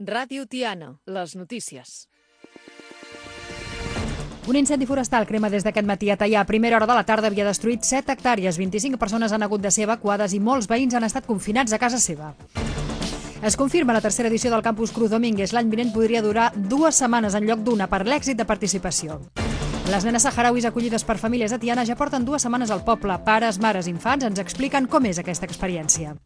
Ràdio Tiana, les notícies. Un incendi forestal crema des d'aquest matí a Teià. A primera hora de la tarda havia destruït 7 hectàrees, 25 persones han hagut de ser evacuades i molts veïns han estat confinats a casa seva. Es confirma la tercera edició del Campus Cruz Domínguez. L'any vinent podria durar 2 setmanes en lloc d'una per l'èxit de participació. Les nenes saharauis acollides per famílies a Tiana ja porten 2 setmanes al poble. Pares, mares, infants ens expliquen com és aquesta experiència.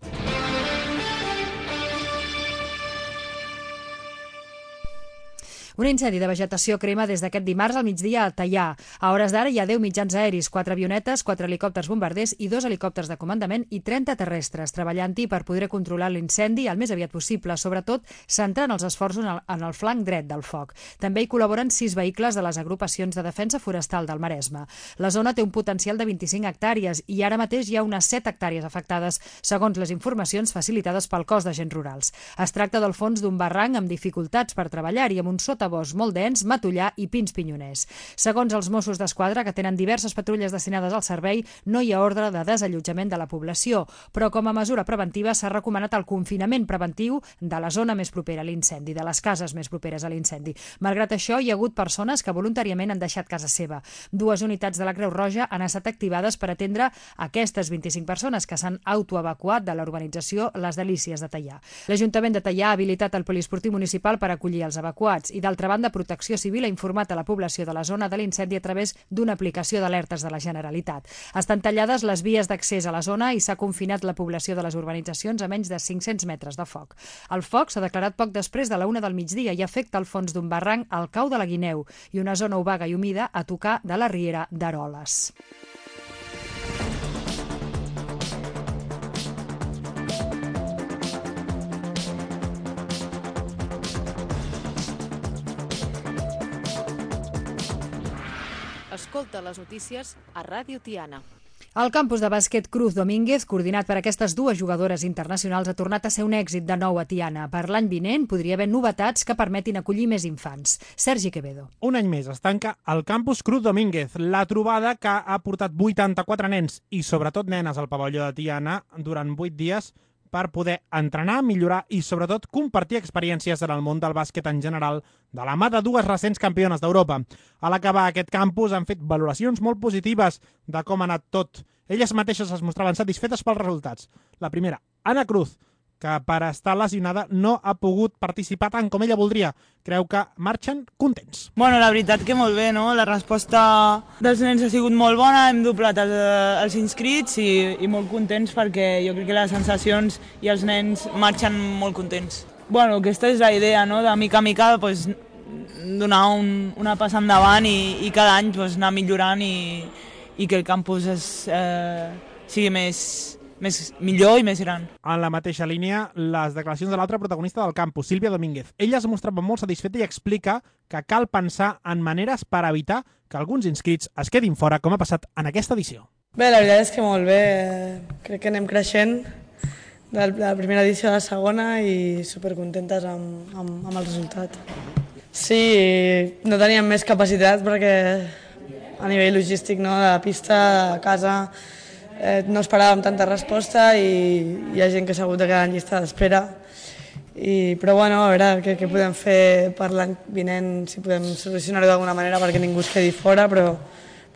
Un incendi de vegetació crema des d'aquest dimarts al migdia a Teià. A hores d'ara hi ha 10 mitjans aeris, 4 avionetes, 4 helicòpters bombarders i 2 helicòpters de comandament i 30 terrestres, treballant-hi per poder controlar l'incendi el més aviat possible, sobretot centrant els esforços en el flanc dret del foc. També hi col·laboren 6 vehicles de les agrupacions de defensa forestal del Maresme. La zona té un potencial de 25 hectàrees i ara mateix hi ha unes 7 hectàrees afectades, segons les informacions facilitades pel cos d'agents rurals. Es tracta del fons d'un barranc amb dificultats per treballar-hi, amb un sotabosc molt dens, matollar i pins pinyoners. Segons els Mossos d'Esquadra, que tenen diverses patrulles destinades al servei, no hi ha ordre de desallotjament de la població, però com a mesura preventiva s'ha recomanat el confinament preventiu de la zona més propera a l'incendi, de les cases més properes a l'incendi. Malgrat això, hi ha hagut persones que voluntàriament han deixat casa seva. 2 unitats de la Creu Roja han estat activades per atendre aquestes 25 persones que s'han autoevacuat de la urbanització Les Delícies de Teià. L'Ajuntament de Teià ha habilitat el poliesportiu municipal per acollir els evacuats i, d'altra banda, Protecció Civil ha informat a la població de la zona de l'incendi a través d'una aplicació d'alertes de la Generalitat. Estan tallades les vies d'accés a la zona i s'ha confinat la població de les urbanitzacions a menys de 500 metres de foc. El foc s'ha declarat poc després de la 1 del migdia i afecta el fons d'un barranc al cau de la Guineu i una zona obaga i humida a tocar de la riera d'Eroles. Escolta les notícies a Ràdio Tiana. El campus de bàsquet Cruz Domínguez, coordinat per aquestes 2 jugadores internacionals, ha tornat a ser un èxit de nou a Tiana. Per l'any vinent podria haver novetats que permetin acollir més infants. Sergi Quevedo. Un any més es tanca el campus Cruz Domínguez, la trobada que ha portat 84 nens i sobretot nenes al pavelló de Tiana durant 8 dies per poder entrenar, millorar i, sobretot, compartir experiències en el món del bàsquet en general de la mà de 2 recents campiones d'Europa. A l'acabar aquest campus han fet valoracions molt positives de com ha anat tot. Elles mateixes es mostraven satisfetes pels resultats. La primera, Ana Cruz, que per estar lesionada no ha pogut participar tant com ella voldria. Creu que marxen contents. Bueno, la veritat que molt bé, no? La resposta dels nens ha sigut molt bona, hem doblat els inscrits i molt contents perquè jo crec que les sensacions i els nens marxen molt contents. Bueno, aquesta és la idea, no? De mica a mica pues, donar una passa endavant i cada any pues, anar millorant i que el campus sigui millor i més gran. En la mateixa línia, les declaracions de l'altra protagonista del campus, Sílvia Domínguez. Ella es mostrava molt satisfeta i explica que cal pensar en maneres per evitar que alguns inscrits es quedin fora, com ha passat en aquesta edició. Bé, la veritat és que molt bé. Crec que anem creixent de la primera edició a la segona i supercontentes amb el resultat. Sí, no teníem més capacitat perquè a nivell logístic, no, de la pista, de casa, no esperàvem tanta resposta i hi ha gent que s'ha hagut de quedar en llista d'espera. Però bueno, a veure què podem fer per l'any vinent, si podem solucionar-ho d'alguna manera perquè ningú es quedi fora, però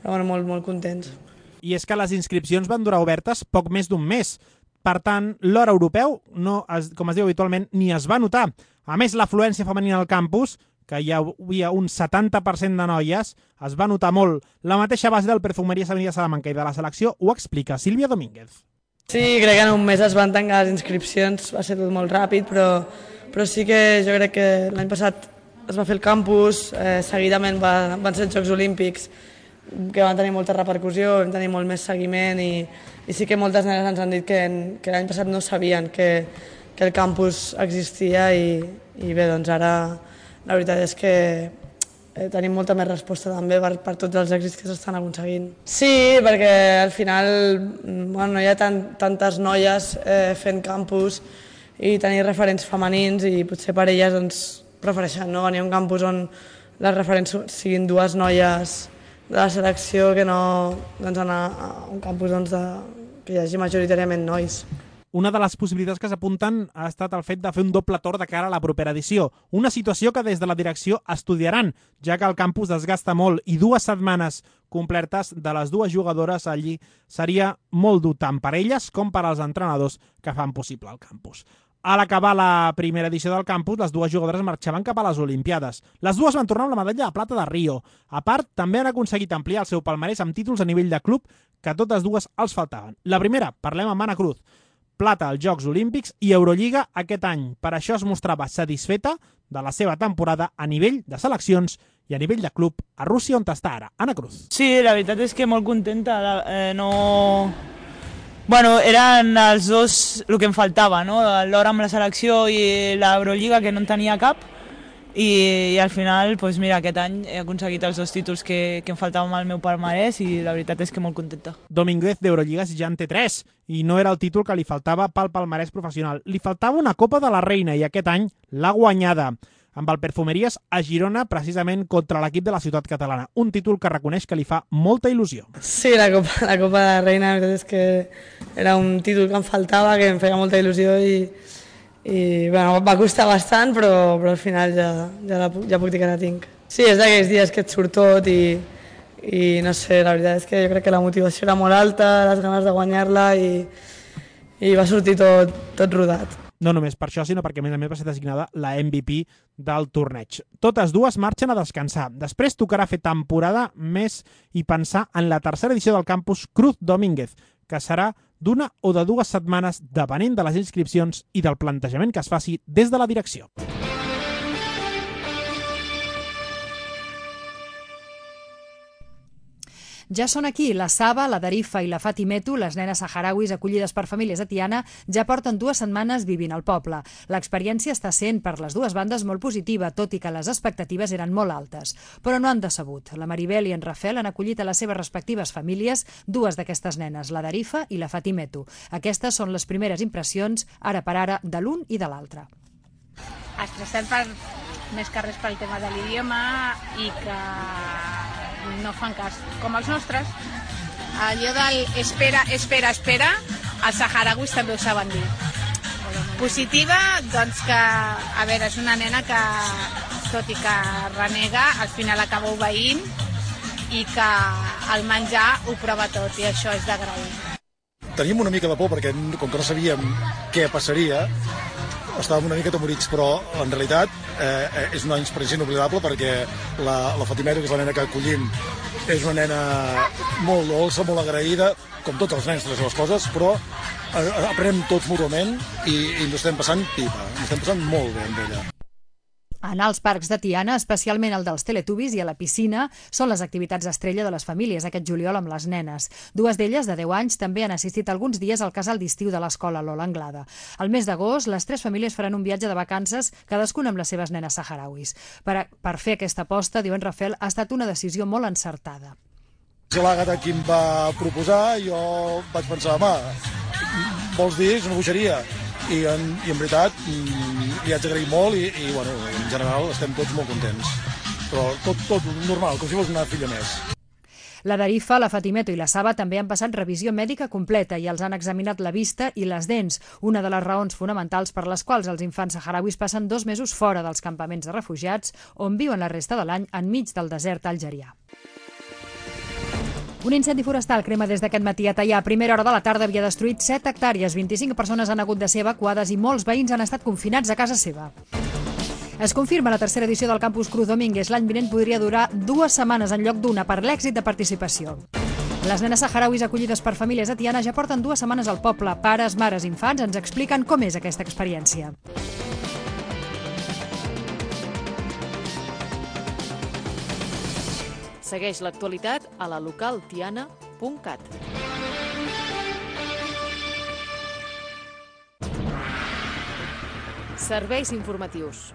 bueno, molt contents. I és que les inscripcions van durar obertes poc més d'un mes. Per tant, l'hora europeu, com es diu habitualment, ni es va notar. A més, l'afluència femenina al campus, que hi havia un 70% de noies, es va notar molt. La mateixa base del Perfumeries Avenida Salamanca i de la selecció ho explica Sílvia Domínguez. Sí, crec que en un mes es van tancar les inscripcions, va ser tot molt ràpid, però sí que jo crec que l'any passat es va fer el campus, seguidament van ser els Jocs Olímpics, que van tenir molta repercussió, vam tenir molt més seguiment i sí que moltes nenes ens han dit que l'any passat no sabien que el campus existia i bé, doncs ara la veritat és que tenim molta més resposta també per tots els èxits que s'estan aconseguint. Sí, perquè al final no hi ha tantes noies fent campus i tenir referents femenins i potser per elles doncs, prefereixen venir a un campus on les referents siguin 2 noies de la selecció que no anar a un campus que hi hagi majoritàriament nois. Una de les possibilitats que s'apunten ha estat el fet de fer un doble torn de cara a la propera edició. Una situació que des de la direcció estudiaran, ja que el campus desgasta molt i 2 setmanes complertes de les 2 jugadores allí seria molt dur tant per elles com per als entrenadors que fan possible el campus. A l'acabar la primera edició del campus, les 2 jugadores marxaven cap a les Olimpiades. Les 2 van tornar amb la medalla de plata de Rio. A part, també han aconseguit ampliar el seu palmarès amb títols a nivell de club que totes 2 els faltaven. La primera, parlem amb Anna Cruz. Plata als Jocs Olímpics i Eurolliga aquest any. Per això es mostrava satisfeta de la seva temporada a nivell de seleccions i a nivell de club a Rússia, on està ara. Anna Cruz. Sí, la veritat és que molt contenta. Bueno, eren els 2 el que em faltava, no? L'or amb la selecció i l'Eurolliga, que no en tenia cap, i al final, doncs mira, aquest any he aconseguit els 2 títols que em faltaven al meu palmarès i la veritat és que molt contenta. Domínguez d'Eurolligas ja en té 3 i no era el títol que li faltava pel palmarès professional. Li faltava una Copa de la Reina i aquest any l'ha guanyada amb el Perfumeries a Girona, precisament contra l'equip de la ciutat catalana. Un títol que reconeix que li fa molta il·lusió. Sí, la Copa de la Reina, la veritat és que era un títol que em faltava, que em feia molta il·lusió i bueno, va costar bastant, però al final ja puc dir que la tinc. Sí, és d'aquells dies que et surt tot i no sé, la veritat és que jo crec que la motivació era molt alta, les ganes de guanyar-la i va sortir tot rodat. No només per això, sinó perquè a més va ser designada la MVP del torneig. Totes 2 marxen a descansar. Després tocarà fer temporada més i pensar en la tercera edició del campus Cruz Domínguez, que serà d'1 o de 2 setmanes, depenent de les inscripcions i del plantejament que es faci des de la direcció. Ja són aquí. La Saba, la Darifa i la Fatimetu, les nenes saharauis acollides per famílies de Tiana, ja porten 2 setmanes vivint al poble. L'experiència està sent per les 2 bandes molt positiva, tot i que les expectatives eren molt altes. Però no han decebut. La Maribel i en Rafel han acollit a les seves respectives famílies 2 d'aquestes nenes, la Darifa i la Fatimetu. Aquestes són les primeres impressions, ara per ara, de l'un i de l'altre. Estressat més que res pel tema de l'idioma i que no fan cas, com els nostres. Allò del espera, els saharauis també ho saben dir. Positiva, doncs que, a veure, és una nena que, tot i que renega, al final acaba obeint i que el menjar ho prova tot, i això és d'agrair. Teníem una mica de por perquè, com que no sabíem què passaria, estàvem una mica atemorits, però en realitat és una experiència inoblidable perquè la Fatimetu, que és la nena que acollim, és una nena molt dolça, molt agraïda, com tots els nens de les coses, però aprenem tots mútuament i ens ho estem passant pipa, ens estem passant molt bé amb ella. Anar als parcs de Tiana, especialment el dels Teletubbies i a la piscina, són les activitats estrella de les famílies aquest juliol amb les nenes. 2 d'elles, de 10 anys, també han assistit alguns dies al casal d'estiu de l'escola Lola Anglada. Al mes d'agost, les 3 famílies faran un viatge de vacances, cadascuna amb les seves nenes saharauis. Per fer aquesta aposta, diu en Rafel, ha estat una decisió molt encertada. Si l'Àgata qui em va proposar, jo vaig pensar, vols dir, és una bogeria. I en veritat li haig d'agrair molt i bueno, en general estem tots molt contents. Però tot normal, com si fos una filla més. La Darifa, la Fatimetu i la Saba també han passat revisió mèdica completa i els han examinat la vista i les dents, una de les raons fonamentals per les quals els infants saharauis passen 2 mesos fora dels campaments de refugiats on viuen la resta de l'any enmig del desert algerià. Un incendi forestal crema des d'aquest matí a Teià. A primera hora de la tarda havia destruït 7 hectàrees, 25 persones han hagut de ser evacuades i molts veïns han estat confinats a casa seva. Es confirma la tercera edició del Campus Cruz Domínguez. L'any vinent podria durar 2 setmanes en lloc d'1 per l'èxit de participació. Les nenes saharauis acollides per famílies de Tiana ja porten 2 setmanes al poble. Pares, mares, infants ens expliquen com és aquesta experiència. Segueix l'actualitat a la localtiana.cat. Serveis informatius.